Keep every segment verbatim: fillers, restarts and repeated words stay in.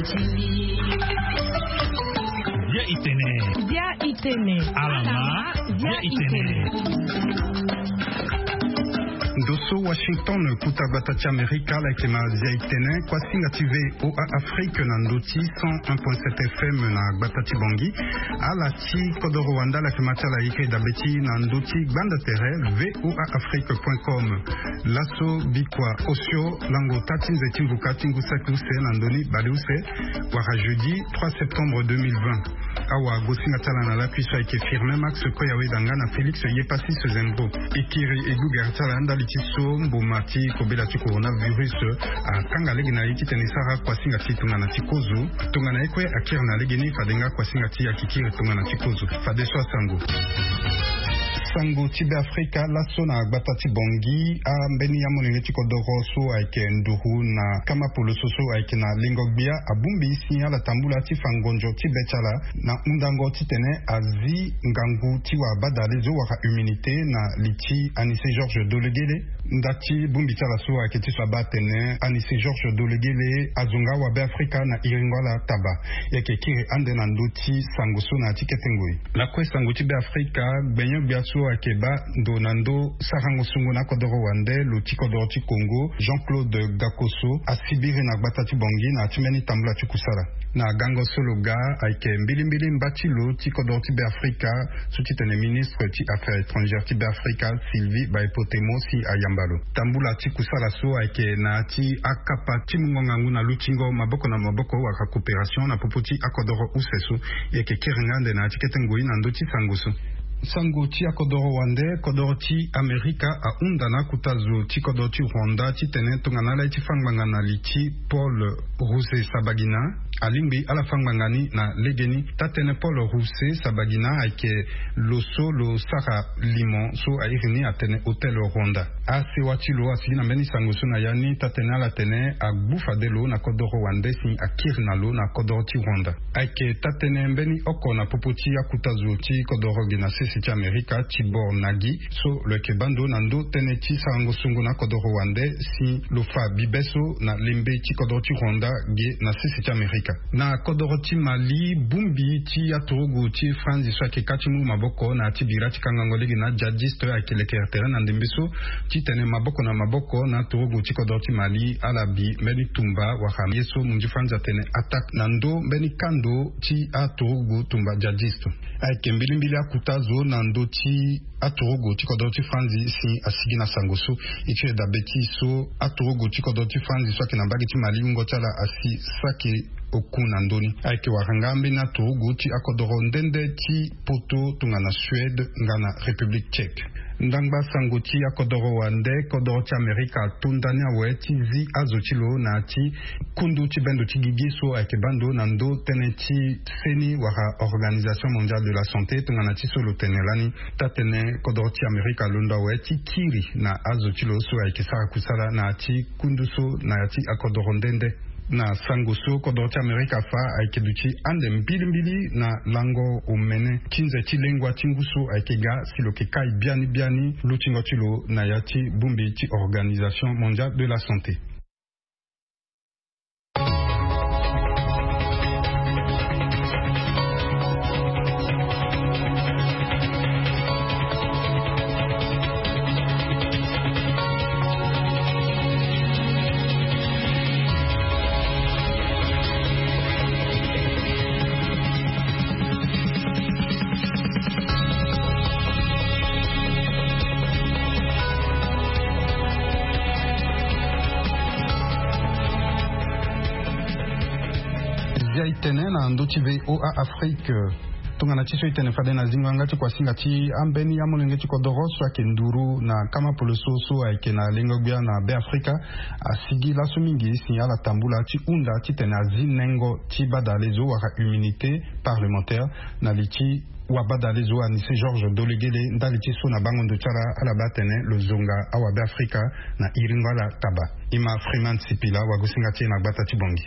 Bia itene. Bia itene. Alama. Bia itene. Ndo so Washington, kuta gbata ti Amerika, ala yeke na zia itene. Kuasinga ti VOA Afrique na ndo ti cent un point sept F M na gbata ti Bangui. Ala ti kodoro wande, ala yeke ma ti ala iri dabe ti na ndo ti gbanda tere VOA Afrique point com. Laso bikua osio lango ota ti nze ti mvuka ti ngu saki use na ndo ni bale use, wala jeudi trois septembre deux mille vingt. Awa gosinga ti ala na lakui so ayeke Firmin Max Koyawe Danga na Félix Yepassis Zembo. E kiri e gugere ti ala ndali ti so mboma ti kobela ti coronavirus akanga lege na ye titene e sara kuasinga ti tongana ti kozo. Tongana ye kue akiri na legeni, fade nga kuasinga ti akikiri tongana ti kozo. Fadeso asango. Sango ti Beafrika, laso na gbata ti Bangui, ambeni amolenge ti kodoro so ayeke nduru na kama poloso so ayeke na lengo-gbia abongbi si ala tambula ti fa ngonzo ti be ti ala na hundango titene azi ngangu ti wabadale zo wala immunité na li ti Anicet Georges Dolegele. Nda ti bongbi ti ala so ayeke ti so abaa atene Anicet Georges Dolegele azo nga wabeafrika na iringo ala taba. E yeke kiri ande na ndö ti sango so na ya ti kete ngoi. Lakue sango ti Beafrika, gbenyo-gbia so ayeke baa ndo na ndö sarango sungo na kodoro wande, lo ti kodoro ti Congo, Jean-Claude Gakoso, asibiri na gbata ti Bangui na ya ti mbeni tambula ti kusala. Na gango so lo ga ayeke mbilimbili mba ti lo ti kodoro ti Beafrika, so ti tene ministre ti Affaires étrangères ti Beafrika, Sylvie Baepo Temo, si ayamba lo. Tambula ti kusala so ayeke na ya ti akapa ti mungo ngangu na lutingo maboko na maboko wala coopération na popo ti akodoro use so. E yeke kiri nga ande na ya ti kete ngoi na ndö ti sango so. Sango ti akodoro wande, kodoro ti Amerika ahunda na akota zo ti kodoro ti Rwanda titene tongana ala ye ti fâ ngbanga na li ti Paul Rusesabagina, alingbi ala fâ ngbanga ni na legeni. Taa-tënë Paul Rusesabagina ayeke lo so lo sara limo so a iri ni atene Hotel Rwanda. Asewa ti lo asigi na mbeni sango so na ya ni, taa-tënë ala tene agbu fade lo na kodoro wande si akiri na lo na kodoro ti Rwanda. Ayeke taa-tënë mbeni oko na popo ti akota zo ti kodoro ge na sese ti Amerika, Tibor Nagi, so lo yeke baa ndo na ndö tënë ti sarango sungo na kodoro wande si lo fa bibe so na lembe ti kodoro ti Rwanda ge na sese ti Amerika. Na kodoro ti Mali, bongbi ti aturugu ti franzi so ayeke kâ ti mu maboko na ya ti bira ti kangango lege na djihadiste ayeke lekere tere na ndembe so, titene maboko na maboko na aturugu ti kodoro ti Mali ala bi mbeni tumba wala ye so munzi franzi atene attaque na ndö mbeni kando ti aturugu tumba djihadiste. Ayeke mbilimbili akota zo na ndö ti aturugu ti kodoro ti franzi si asigi na sango so. E tiri dabe ti so aturugu ti kodoro ti franzi so ayeke na mbage ti Mali, wungo ti ala asi saki oku na ndö ni. Ayeke wara nga ambeni aturugu ti akodoro nde nde ti Poto tongana Suède nga na République Tchèque. Ndangba sango ti akodoro wande, kodoro ti Amerika ato ndani awe ti zi azo ti lo na ya ti kundu ti bendo ti gigi so ayeke baa ndo na ndö tënë ti seni wala Organisation Mondiale de la Santé tongana ti so lo tene lani. Taa-tënë kodoro ti Amerika alondo awe ti kiri na azo ti lo so ayeke sara kusala na ya ti kundu so na ya ti akodoro nde nde. Na sango so, kodoro ti Amerika afa ayeke duti ande mbilimbili na lango omene ti nze ti lengua ti ngu so ayeke ga si lo yeke kai biani biani lutingo ti lo na ya ti bongbi ti Organisation Mondiale de la Santé. Zia e tene na ndö ti VOA Afrique. Tongana ti so e tene fade na zingo yanga ti kuasinga ti ambeni amolenge ti kodoro so ayeke nduru na kama poloso so ayeke na lengo-gbia na Beafrika asigi laso mingi si ala tambula ti hunda titene azi nengo ti badale zo wala immunité parlementaire na li ti wabadale zo Anicet Georges Dolegele ndali ti so na bango ndo ti ala ala baa atene lo zonga awabeafrika na iringo ala taba. E ma Freeman Sipila, wagosinga ti e na gbata ti Bangui.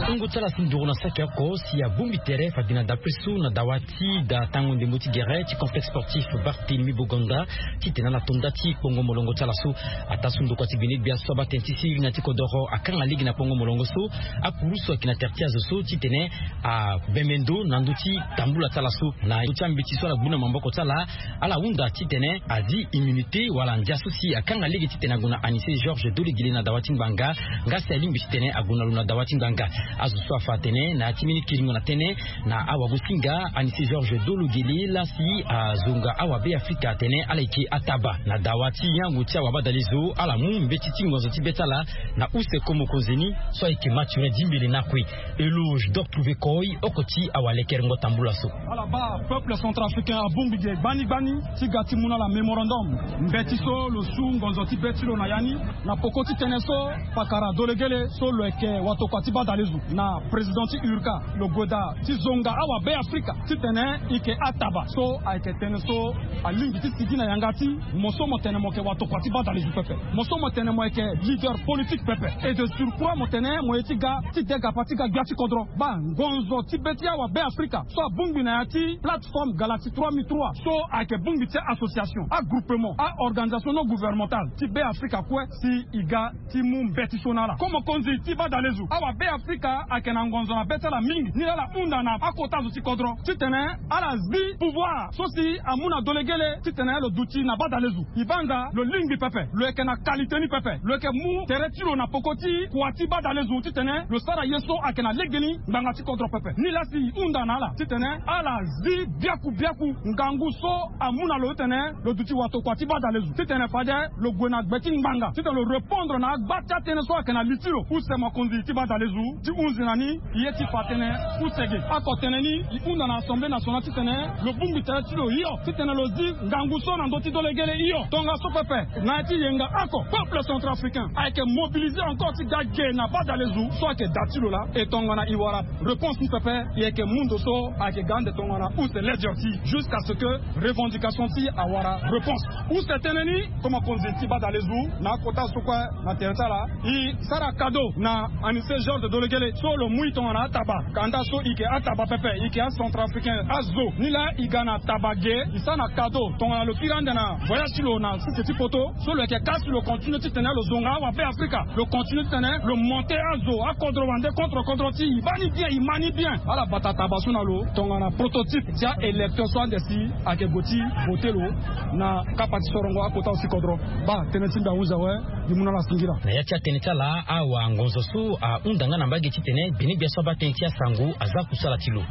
Kungo ti ala si nduru na saki oko si abongbi tere fade na dapre so na dawa ti da tango ndembo ti gere ti complexe sportif Barthélemy Boganda, titene ala to nda ti kpongo molongo ti ala so. Ataa so ndokua ti gbene gbia so abaa tene ti siriri na ti kodoro akanga lege na kpongo molongo so, akuru so ayeke na tere ti azo so titene abembe ndo na ndö ti tambula ti ala so. Na ndö ti ambeti so ala gbu na maboko ti ala, ala hunda titene azi immunité wala ndia so si akanga lege titene ague na Anissé Georges Dolegele na dawa ti ngbanga, nga si alingbi titene ague na lo na dawa ti ngbanga. Azo so afa atene na ya ti mbeni kiringo na tënë na awagosinga Anissé Georges Dolegele laa si azonga awabeafrika atene ala yeke ataba na dawa ti yango ti awabadalezo, ala mu mbeti ti ngonzo ti be ti ala na use ko mokonzi ni so ayeke Mathurin Dimbele na kue. Eloge Doc Trouvé Koy, oko ti awalekerengo tambula so. Ala baa peuple centrafricain abongbi ge gbani gbani ti ga ti mu na ala mémorandum mbeti so lo su ngonzo ti be ti lo na ya ni, na poko ti tënë so pakara Dolegele so lo yeke watokua ti badalezo na président ti URCA, lo gue daa ti zonga awabeafrika titene e yeke ataba. So ayeke tënë so alingbi ti sigi na yanga ti mo so mo tene mo yeke watokua ti badalezo pepe, mo so mo tene mo yeke leader politique pepe, et de surcroît mo tene mo ye ti ga ti degapa ti ga gbia ti kodro. Baa ngonzo ti be ti awabeafrika so abongbi na ya ti plateforme Galaxie trois mille trois so ayeke bongbi ti association, agroupement, a-organisation non gouvernementale ti Beafrika kue si e ga ti mu mbeti so na ala. Ko mokonzi ti badalezo, awabeafrika ayeke na ngonzo na be ti ala mingi. Ni laa ala hunda na akota zo ti kodro titene ala zi pouvoir so si amu na Dolegele titene lo duti na badalezo. E baa nga lo lingbi pepe, lo yeke na qualité ni pepe, lo yeke mu tere ti lo na poko ti kua ti badalezo titene lo sara ye so ayeke na legeni ngbanga ti kodro pepe. Ni laa si e hunda na ala titene ala zi biaku biaku ngangu so amu na lo titene lo duti watokua ti badalezo titene fade lo gue na gbe ti ngbanga titene lo répondre na agba ti atënë so ayeke na li ti lo. Use mokonzi ti badalezo ti hunzi na ni ye ti fa tënë use ge. Oko tënë ni e hunda na Assemblée nationale titene lo bongbi tere ti lo hio titene lo zi ngangu so na ndö ti Dolegele hio. Tongaso pepe na ya ti yenga oko, peuple centrafricain ayeke mobilisé encore ti ga ge na badalezo so ayeke da ti lo laa. E tongana e wara réponse ni pepe, e yeke mu ndo so ayeke ga ande tongana use ledio ti jusqu'à ce que revendication ti awara réponse. Use tënë ni, ko mokonzi ti badalezo, na akota so kue na tere ti ala, e sara cadeau na Anissé Georges Dolegele so lo mu e tongana ataba. Kanda so e yeke ataba pepe, e yeke acentrafricain azo. Ni laa e ga na taba ge, e sara na cadeau tongana lo kiri ande na voyage ti lo na sese ti poto. So lo yeke ka si lo continue titene lo zonga awabeafrika, lo continue titene lo monte azo akodro wande contre kodro ti e. E baa ni bien, e ma ni bien. Ala bata taba so na lo tongana prototype ti a-électeur so ande si ayeke gue ti vote lo na kapa ti sorongo akota osi kodro. Baa tënë ti mbi ahunzi awe. Mbi mu na ala singila. Na ya ti atënë ti ala, awangonzo so ahunda nga na mbage titene gbene gbia so abaa tënë ti asango aza kusala ti lo.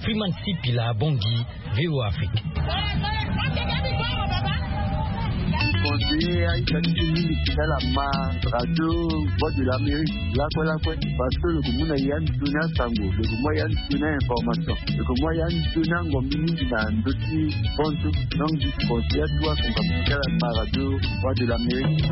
Freeman Sipila Bongi, VOA Afrique. Conseiller aita ti mingi ti ala ma radio Voix de l'Amérique lakue lakue, parce que lo ke mu na ya ndoni asango, lo ke mu ya ndoni information, lo ke mu ya ndoni angombi mingi na ndö ti bantu. Donc je conseille à toi qu'on va faire la radio Voix de l'Amérique.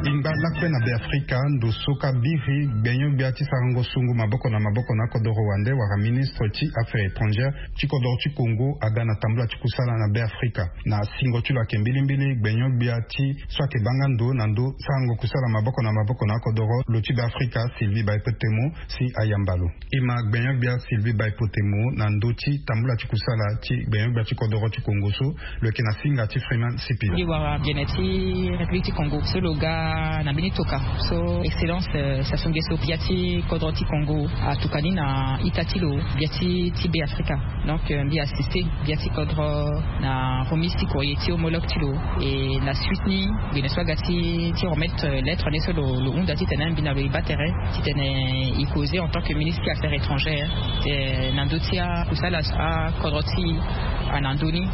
Ingba lakue na Beafrika, ndo so ka biri gbenyo-gbia ti sarango sungu maboko na maboko na akodoro wande wala ministre ti Affaires étrangères ti kodoro ti Congo aga na tambula ti kusala na Beafrika. Na singo ti lo ayeke mbilimbili gbenyo-gbia ti so ayeke baa nga ndo na ndo sarango kusala maboko na maboko na akodoro lo ti Beafrika, Sylvie Baïpo Temo, si ayamba lo. E ma gbenyo-gbia Sylvie Baïpo Temo na ndö ti tambula ti kusala ti gbenyo-gbia ti kodoro ti Congo so, lo yeke na singa ti Freeman Sipila. Mbi wara gene ti République ti Congo so lo ga na mbeni toka so Excellence, euh, Sassou Nguesso, gbia ti kodro ti Congo, atuka ni na ita ti lo, gbia ti, ti Beafrika. Donc, euh, mbi assisté gbia ti kodro na remise ti courrier ti homologue ti lo. Et na suite ni, gene so aga ti, ti remettre, euh, lettre ni so lo, lo hunda titene mbi na lo e baa tere titene e causer en tant que ministre ti Affaires étrangères, euh, na ndö ti akusala akodro ti e na ndö ni,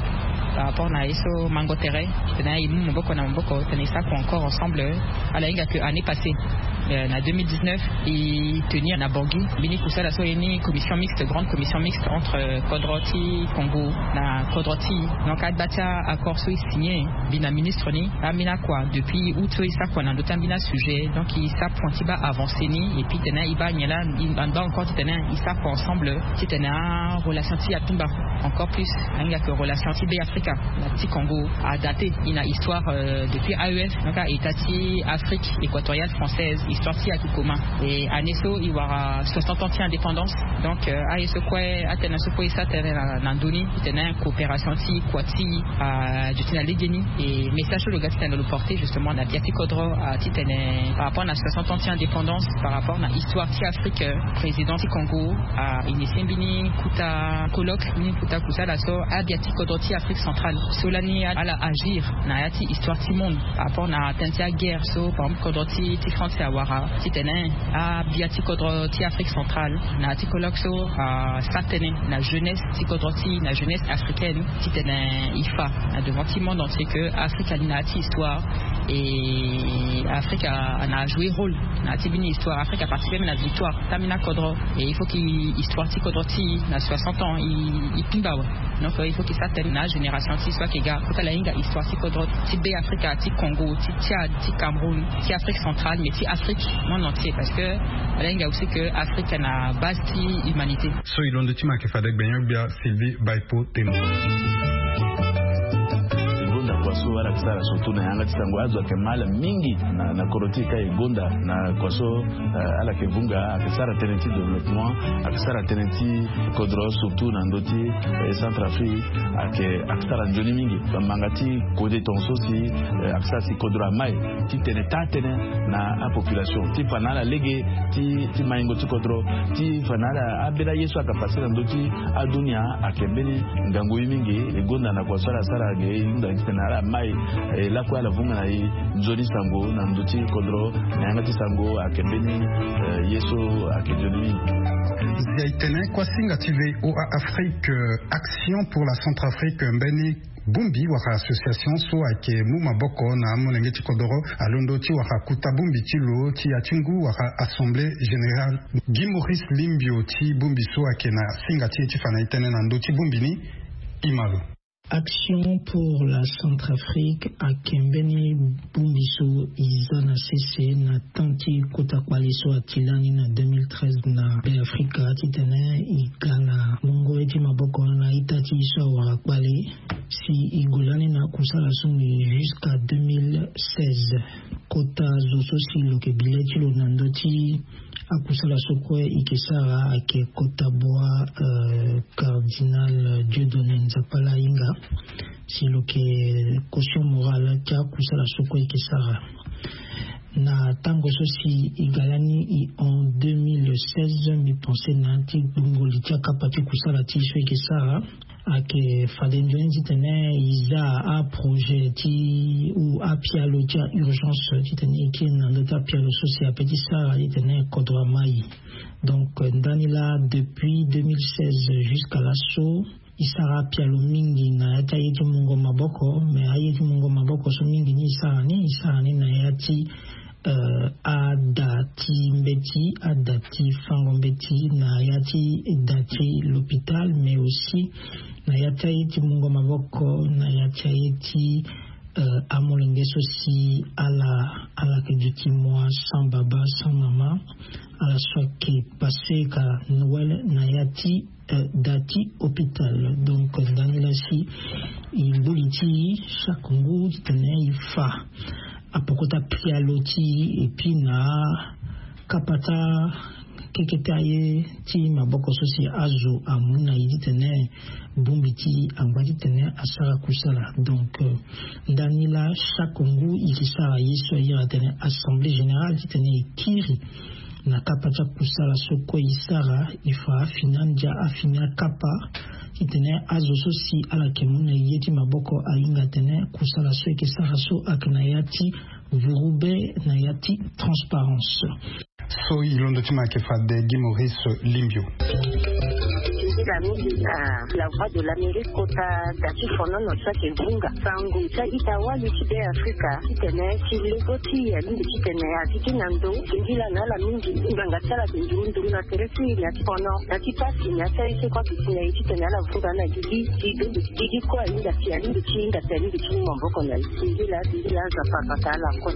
par rapport na ye so mango tere titene e mu maboko na maboko titene e sara kua encore ensemble. Ala hinga que année passée Na deux mille dix-neuf, e tenir na Bangui mbeni kusala so e ni commission mixte, grande commission mixte entre kodro ti Congo na kodro ti. Donc agba ti accord so e signé mbi na ministre ni, ambeni akua depuis août so e sara kua na ndö ti ambeni asujet. Donc e sara point ti baa avancé ni, et puis titene e baa nyen laa, e baa encore titene e sara kua ensemble titene arelation ti e atumba encore plus. Ahinga ke relation ti Be Afrika na ti Congo adate e na histoire depuis A E F, donc a état ti Afrique équatoriale française, histoire ti e ayeke commun. Et année so e wara soixante ans ti indépendance. Donc aye so kue, atënë so kue e sara tënë na ndö ni titene coopération ti kua ti e duti na legeni. Et message so lo ga titene lo porter justement na bia ti kodro titene par rapport na soixante ans ti indépendance, par rapport na histoire ti Afrique, président ti Congo a initié mbeni kota colloque, mbeni kota kusala so abia ti kodro ti Afrique centrale so lani ala agir na ya ti histoire ti monde par rapport na tënë ti aguerre so par exemple kodro ti France awara, titene abia ti kodro ti Afrique centrale na ya ti colloque so asara tënë na jeunesse ti kodro ti e, na jeunesse africaine, titene e fa na devant ti monde entier ke Afrique ali na ya ti histoire. Et Afrique ana ajoué rôle na ya ti mbeni histoire. Afrique aparticipé même na victoire ti ambeni akodro. Et il faut ke histoire ti kodro ti e na soixante ans e timba awe. Donc il faut ke sara tënë na agénération ti e so ayeke ga kota ala hinga histoire ti kodro ti Be Afrika, ti Congo, ti Tchad, ti Cameroun, ti Afrique centrale, mais ti Afrique monde entier, parce que ala hinga aussi ke Afrique na base ti humanité. So e londo ti ma ayeke fade gbenyo-gbia Sylvie Baipo Temo. E gonda kua so ala yeke sara surtout na yanga ti sango, azo ayeke ma ala mingi na kodro ti e ka e gonda na kua so ala yeke vunga, ayeke sara tënë ti développement, ayeke sara tënë ti kodro surtout na ndö ti Centrafrique, ayeke ayeke sara nzoni mingi. Manga ti kode tongaso si ayeke sara si kodro amai titene taa tënë na apopulation ti fa na ala lege ti maingo ti kodro, ti fa na ala ambeni aye so ayeke pase na ndö ti adunia. Ayeke mbeni ngangu ye mingi. E gonda na kua so ala sara ge e hunda titene ala mai lakue ala vunga na e nzoni sango na ndö ti kodro na yanga ti sango ayeke mbeni ye so ayeke nzoni mingi. Zia e tene kuasinga ti VOA Afrique, Action pour la Centrafrique, mbeni bongbi wala association so ayeke mu maboko na amolenge ti kodro alondo ti wara kota bongbi ti lo ti ya ti ngu wala Assemblée Générale. Guy Maurice Limbio ti bongbi so ayeke na singa ti e ti fa na e tënë na ndö ti bongbi ni. E ma lo. Action pour la Centrafrique ayeke mbeni bongbi so e za na sese na temps ti kota kpale so ati lani na deux mille treize na Be Afrika titene e ga na mungo ye ti maboko na ita ti e so awara kpale. Si e gue lani na akusala so ni jusqu'à deux mille seize. Kota zo so si lo yeke bi le ti lo na ndö ti akusala so kue e yeke sara ayeke kota bua Cardinal Dieudonné Nzapala ahinga. Si lo yeke caution morale ti akusala so kue e yeke sara. Na tango so si e ga lani e en deux mille seize, mbi pense na ya ti gbungo li ti akapa ti kusala ti e so e yeke sara. Ayeke fade nzoni titene e za aprojet ti ou apialo ti a-urgence titene e kiri na ndö ti apialo so si ape ti sara titene kodro amai. Donc ndani laa depuis deux mille seize jusqu'à laso e sara apialo mingi na ya ti aye ti mungo maboko. Mais aye ti mungo maboko so mingi ni e sara ni, e sara ni na ya ti ada ti mbeti, ada ti fango mbeti, na ya ti da ti l'hôpital, mais aussi na ya ti aye ti mungo maboko na ya ti aye ti amolenge so si ala ala yeke duti mua sans baba sans mama, ala so ayeke pase ka Noël na ya ti da ti hôpital. Donc ndani laa si e mbu li ti e chaque ngu titene e fa apoko ti apialo ti e, et puis na kapa ti akeke ti aye ti maboko so si azo amu na e titene bongbi ti e angba titene asara kusala. Donc ndani laa chaque ngu e yeke sara ye so a iri atene assemblée générale titene e kiri na kapa ti akusala so kue e sara, e fa afini andia, afini akapa titene azo so si ala yeke mu na e ye ti maboko ahinga atene kusala so e yeke sara so ayeke na ya ti vurube, na ya ti transparence. So e londo ti ma ayeke fade Guy Maurice Limbio. Mingi na la voix de l'Amérique kota da ti fonono so ayeke vunga sango ti a-ita wali ti be afrika titene ti lego ti alingbi titene atiki na ndo. Ngila na ala mingi ngbanga ti ala ayeke nduru nduru na tere ti na ti fono na ti pasi na ti aye so kue ayeke si na ye titene ala vunga na gigi ti dongo ti gigi kue ahinga si alingbi ti hinga si alingbi ti mu maboko na ye. Ngila ngila aza papa ka ala kue.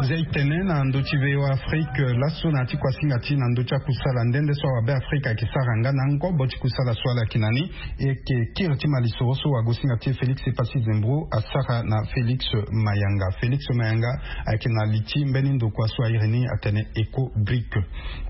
Zia e tene na ndö ti V O A Afrique laso na ya ti kuasinga ti na ndö ti akusala nde nde so awabe afrika ayeke sara nga na ngobo ti kusala so ala yeke na ni. E yeke kiri ti malisoro so wagosinga ti e Félix Epassi Zembro asara na Félix Mayanga. Félix Mayanga ayeke na li ti mbeni ndokua so airi ni atene Eco Bric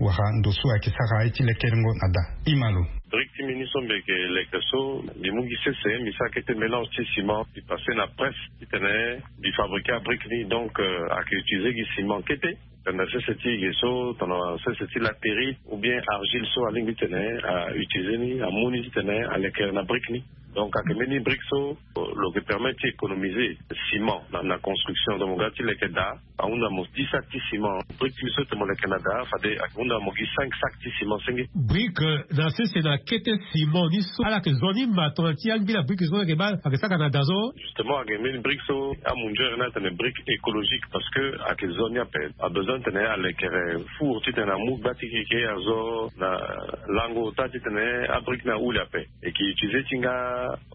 wala ndo so ayeke sara aye ti lekerengo na da. Imalo. Bric ti mbi ni so mbi yeke leke so mbi mu gi sese mbi sara kete mélange ti ciment mbi passe na presse titene mbi fabriquer abric ni donc ayeke utiliser gi ciment kete. Tanda sese ti ge so tanda sese ti latérite ou bien argile so alingbi titene autiliser ni amu ni titene aleke na brique ni. Donc ayeke mbeni brique so lo yeke permettre ti économiser ciment na construction donc mo ga ti leke daa ahunda mo dix sacs ti ciment. Brique ti mbi so tene mo leke na daa fade ayeke hunda mo gi cinq sacs ti ciment senge. Brique na sese na kete ciment ni so ala yeke zo ni ma tongana ti angbi na brique so ayeke baa ayeke saka na daa so. Justement ayeke mbeni brique so amunzere ni atene brique écologique parce que ayeke zo ni ape. Abesoin titene alekere four titene amu gba ti keke azo na lango ota titene abrique ni ahule ape. E ke utiliser ti nga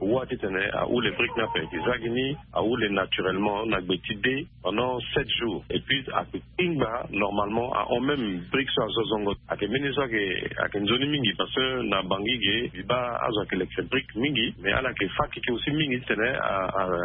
wa titene ahule brique ni ape e ke za gi ni ahule naturellement na gbe ti de pendant sept jours et puis ayeke kpingba normalement ahon même brique so azo zongo. Ayeke mbeni so ayeke nzoni mingi parce que na bangi ge mbi baa azo ayeke leke brique mingi mais ala yeke fa keke aussi mingi titene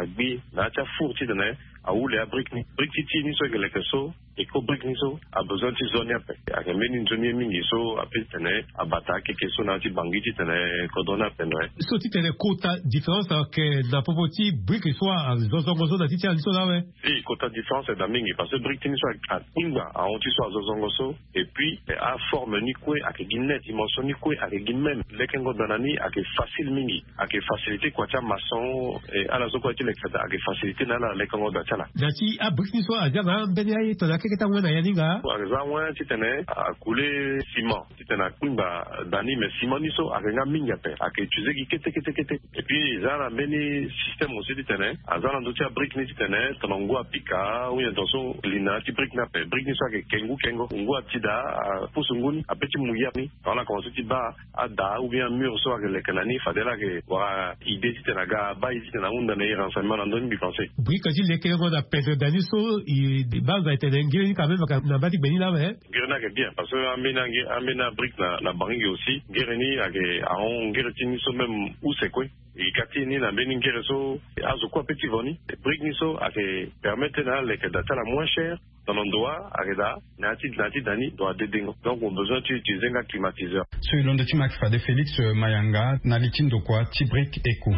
agbi na ya ti afour titene ahule abrique ni. Brique ti ti ni so ayeke leke so eko brique ni so abesoin ti zo ni ape. Ayeke mbeni nzoni ye mingi so ape titene abata akeke so na ya ti bangi titene kodro ni ape ndo aye. So titene kota différence ayeke na popo ti brique so azo zongo so na ti ti ala ni so laa awe. Si kota différence ayeke daa mingi parce que brique ti ni so akpingba ahon ti so azo zongo so. Et puis aforme ni kue ayeke gi net dimension ni kue ayeke gi même lekengo daa na ni ayeke facile mingi. Ayeke facilité kua ti amaçon. Ala so kue ti leke daa ayeke facilité na ala lekengo daa ti ala. Na ti abrique ni so aza na ambeni aye tongana akeke ti awen na ya ni nga. Aza awen titene akule ciment titene akpingba daa ni mais ciment ni so ayeke nga mingi ape ayeke utiliser gi kete kete kete. Et puis eza na mbeni système aussi titene aza na ndö ti abrique ni titene tongana ngu apika ou bien tongaso li na ya ti brique ni ape brique ni so ayeke ke ngu kengo ngu ati daa apusu ngu ni ape ti mu ya ni. Tongana ala komanse ti baa ada ou bien amur so ayeke leke na ni fade ala yeke wara idée titene aga abaa e titene ahunda na e renseignement na ndö ni mbi pense. Brique ti lekerengo na pendre daa ni so e baa nza e tene ngiri ni quand même ayeke na mbaa ti gbe ni laa awe. Ngiri ni ayeke bien parce que ambeni angi ambeni abrique na bangi gi aussi ngiri ni ayeke ahon ngiri ti ni so même use kue. E ka ti e ni na mbeni ngiri so azo kue ape ti vo ni. Brique ni so ayeke permettre na aleke daa ti ala moins cher. Tongana ndo wa ayeke daa na ya ti na ya ti da ni ndo wa dedengo donc mo besoin ti utiliser nga climatiseur. So e londo ti ma ayeke fade Félix Mayanga na li ti ndokua ti brique eco.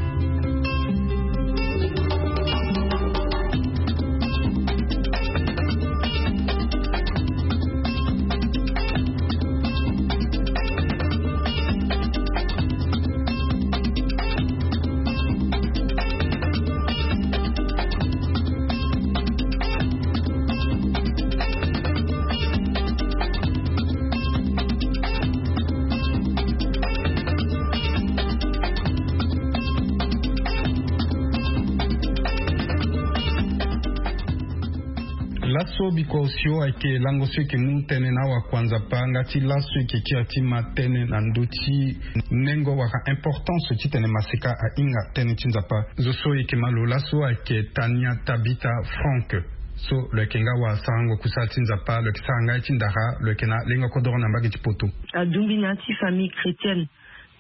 Laso bikua osio ayeke lango so e yeke mu tënë na awakuanzapa nga ti laso e yeke kiri ti ma tënë na ndö ti nengo wala importance titene maseka ahinga tënë ti nzapa. Zo so e yeke ma lo laso ayeke Tania Tabita Frank. So lo yeke nga wasarango kusala ti Nzapa, lo yeke sara nga ye ti ndara, lo yeke na lengo kodoro na mbage ti poto. Adumbi na ya ti famille chrétienne.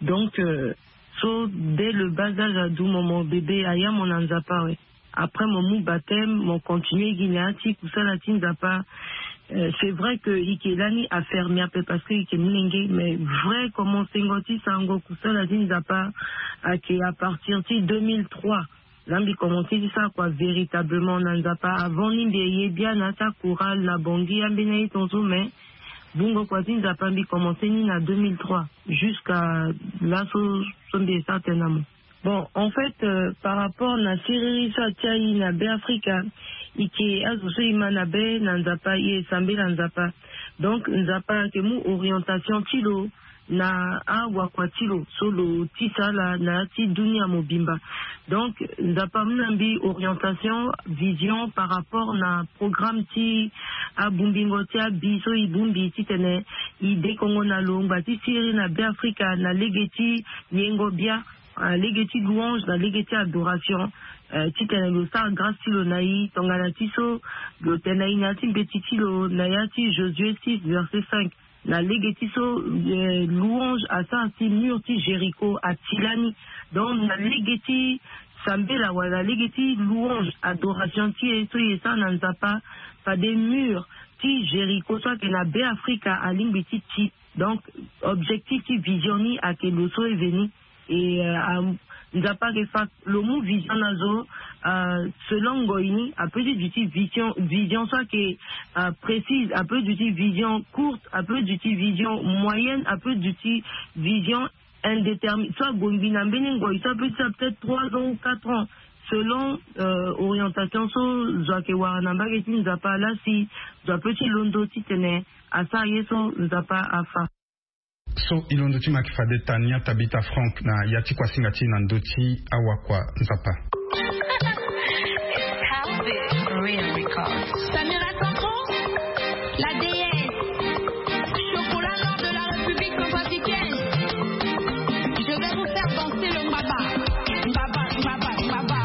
Donc, euh, so dès le bas âge, adu mo, mo bébé, aya mo na Nzapa, ouais. Après mo mu baptême, mo continue gi na ya ti kusala ti Nzapa. Euh, c'est vrai que i ke lani afermi ape parce que i ke molenge, mais vrai commencengo ti sarango kusala ti Nzapa ake à partir ti deux mille trois. Là mbi commencé ti sara kua véritablement na Nzapa. Avant ni mbi ye bia na ya ti chorale na Bangui, ambeni aye tongaso, mais bungo kua ti Nzapa mbi commencé ni na deux mille trois jusqu'à là so, so mbi ye sara tënë na mo. Bon, en fait, euh, par rapport na siriri so atia i na Beafrika, i ke azo so i ma na be na Nzapa, i ye sambela Nzapa. Donc Nzapa ake mu orientation ti lo na awakua ti lo so lo tisa ala na ya ti dunia mobimba. Donc Nzapa amu na mbi orientation, vision par rapport na programme ti abungbingo ti abi so i bongbi titene i dekongo na lo ngba ti siriri na Beafrika na lege ti yengo bia, ah, lege ti louange na lege ti adoration, euh, titene lo sara grâce ti lo na i tongana ti so lo tene na i na ya ti mbeti ti lo na ya ti Josué six verset cinq. Na lege ti so, eh, louange asara si mur ti Jéricho ati lani. Donc na lege ti sambela wala lege ti louange, adoration ti e so e sara na Nzapa, fade mur ti Jéricho so ayeke na Beafrika alingbi ti ti. Donc objectif ti vision ni ayeke lo so e veni. Et, euh, am-, Nzapa ayeke fa lo mu vision na zo, euh, selon ngoi ni, apeut ti duti vision, vision so ayeke, euh, précise, apeut duti vision courte, apeut duti vision moyenne, apeut duti vision indéterminée. So agongbi na mbeni ngoi so apeut ti peut-être trois ans ou quatre ans, selon, euh, orientation so zo ayeke wara na mbage ti Nzapa laa si zo apeut ti londo titene asara ye so Nzapa afa. So i londo ti ma yeke fade Tania Tabitha Frank na ya ti kuasinga ti e na ndö ti awakua Nzapa. Samira Santro, la déesse, chocolat noir de la République centrafricaine. Je vais vous faire danser le mbaba. Mbaba, mbaba, mbaba.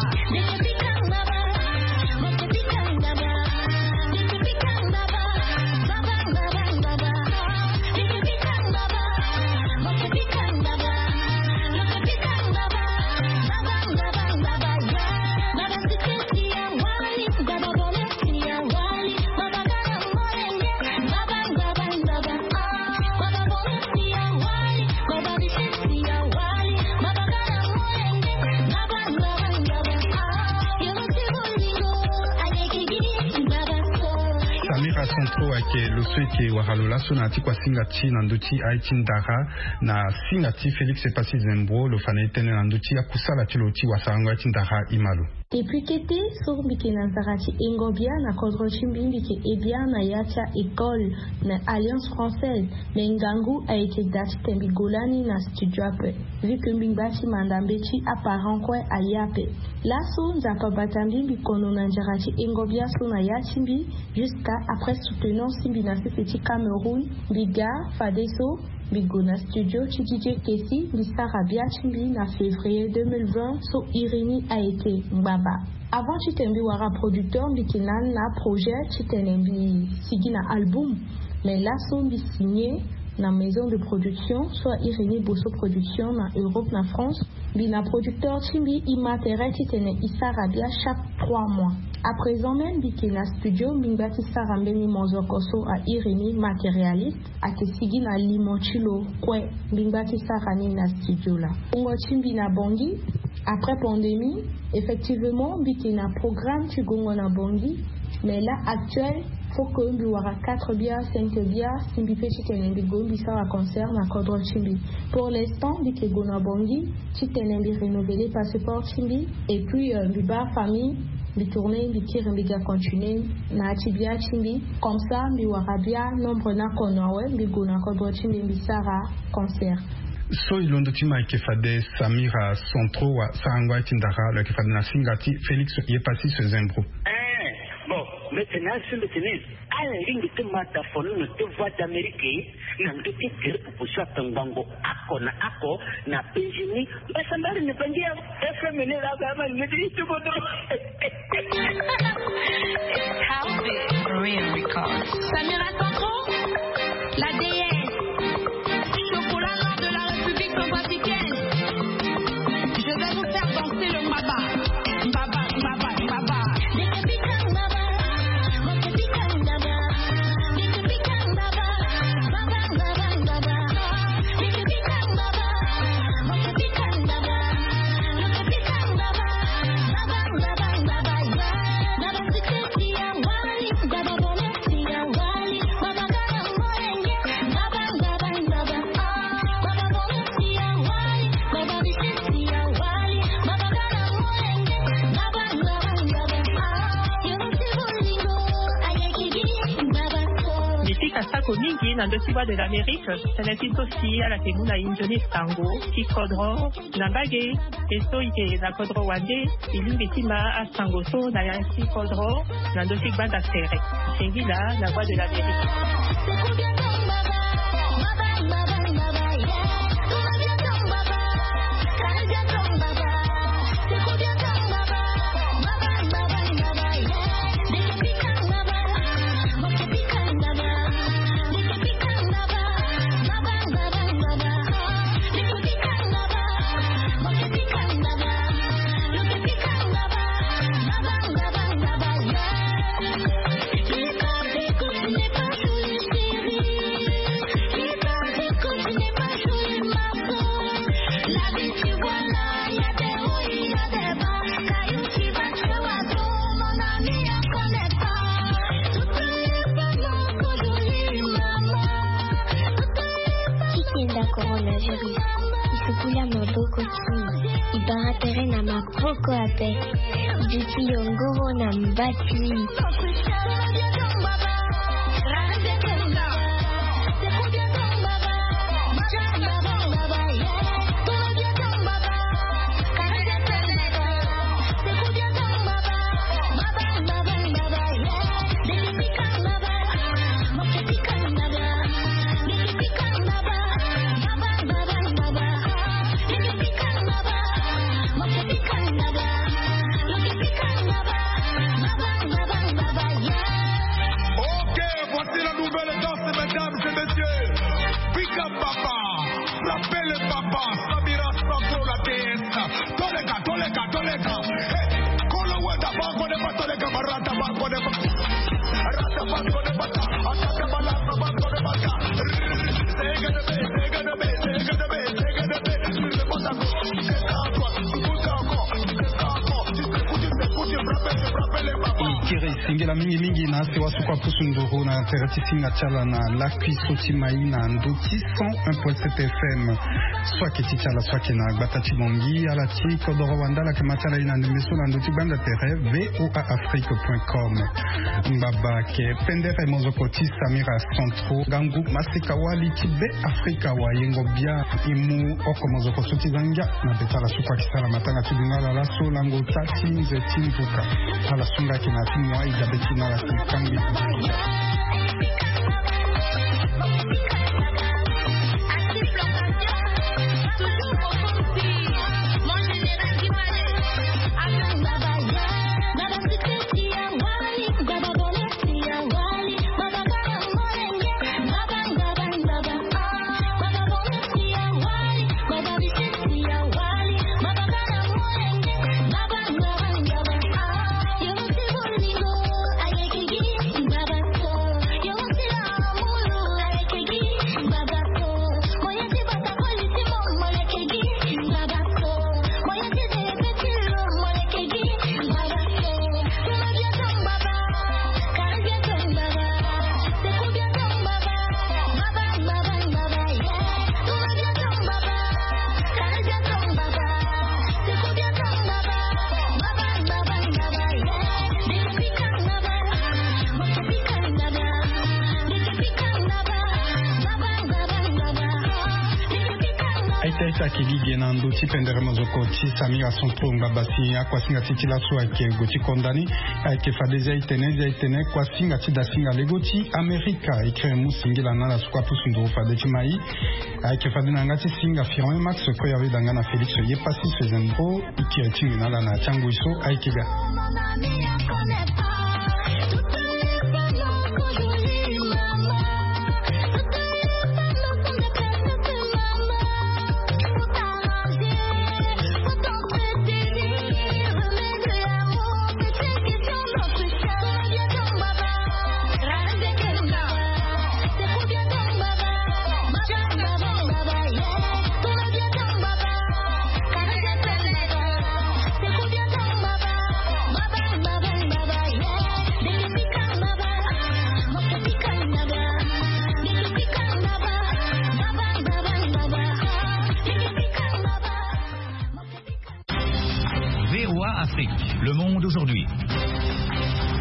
Samira Santro ayeke lo so e yeke wara lo laso na ya ti kuasinga ti e na ndö ti aye ti ndara na singa ti Félix Epassi Zembro. Lo fa na e tënë na ndö ti akusala ti lo ti wasarango aye ti ndara. I ma lo. Depuis kete so mbi yeke na nzara ti hengo bia na kodro ti mbi, mbi yeke he bia na ya ti a-école na Alliance Française. Me ngangu ayeke daa titene mbi gue lani na studio ape, vu que mbi ngba ti manda mbeti aparent kue aye ape. Laso Nzapa abata mbi, mbi kono na nzara ti hengo bia so na ya ti mbi, jusqu'à après soutenance ti mbi na sese ti Cameroun, mbi ga fadeso mbi gue na studio ti D J Kessy, mbi sara bia ti mbi na février deux mille vingt so iri ni ayeke Ngbaba. Avant titene mbi wara producteur, mbi yeke na ni na projet titene mbi sigi na album. Mais laso mbi signé na maison de production so a iri ni Bosso Production na Europe na France. Mbi na producteur ti mbi, e ma tere titene e sara bia chaque trois mois. À présent même mbi yeke na studio, mbi ngba ti sara mbeni mozoko so a iri ni Matérialiste. Ayeke sigi na limo ti lo kue. Mbi ngba ti sara ni na studio laa. Wungo ti mbi na Bangui, après pandémie, effectivement mbi yeke na programme ti gongo na Bangui. Mais là actuel, faut que mbi wara quatre bia, cinq bia si mbi peut titene mbi gue mbi sara concert na kodro ti mbi. Pour l'instant mbi yeke gue na Bangui titene mbi renouveler passeport ti mbi. Et puis, euh, mbi baa famille, mbi tourner, mbi kiri, mbi ga continuer na ya ti bia ti mbi. Comme ça mbi wara bia nombre ni akono awe, mbi gue na kodro ti mbi, mbi sara concert. So e londo ti ma ayeke fade Samira Santro wasarango aye ti ndara, lo yeke fade na singa ti Félix Epassi Zembro. Eh, bon, mbi tene na so mbi tene, ala lingbi ti ma dafono na ti Voix d'Amérique na ndö ti gere proposition atongbango oko na oko na P G ni. Mbasambala ni Bangui ya F M ni laa, ba ma ni ti ti kodro. Asako mingi na ndö ti Voix de l'Amérique. Tënë ti so si ala yeke mu na e nzoni sango ti kodro na mbage. E so e yeke na kodro wande, e lingbi ti ma asango so na ya ti kodro na ndö ti gbanda tere. Singila na Voix de l'Amérique. Ti kenda coronavirus, e sukula maboko ti e, e bara tere na maboko ape. Duti yongoro na mbati. Ok, voici la nouvelle danse, mesdames et messieurs. Big up, papa. Frappez le papa. Samira Soklo, la déesse. Toleka, toleka, toleka. Hey, kolo wenda bango de ba toleka, barata bango de ba. Rata bango de ba. Atata balata bango de ba. Sega de be, sega de be, sega de be, sega de be. E kiri singila mingi mingi na asewa suku apusu nduru na tere ti singa ti ala na lakui so ti mai na ndö ti cent un point sept F M. So ayeke ti ti ala so ayeke na gbata ti Bangui, ala ti kodoro wande ala yeke ma ti ala ye na ndembe so na ndö ti gbanda tere V O A Afrique point com. Ngbaba ayeke pendere mozoko ti Samira Centro, ngangu maseka wali ti Be Afrika, wayengo bia. E mu oko mozoko so ti za ngia na be ti ala so kue ayeke sara matanga ti dungala laso lango ota ti nze ti nduka. Ala so nga ayeke na ya ti mu aida be ti na ala si kangbi. Aita aita ayeke gi ge na ndö ti pendere mozoko ti Samira Centro. Ngbaba si akuasinga ti ti laso ayeke gue ti konda ni. Ayeke fade zia itene zia itene kuasinga ti dasinga lego ti Amerika. E kiri mu singila na ala so kue apusu nduru fade ti mai. Ayeke fade na yanga ti singa Firon Max, kue awe danga na Félix ye pasi Sezendro. E kiri ti ngi na ala na ya ti angoi so ayeke ga. V O A Afrique, le monde aujourd'hui.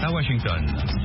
À Washington.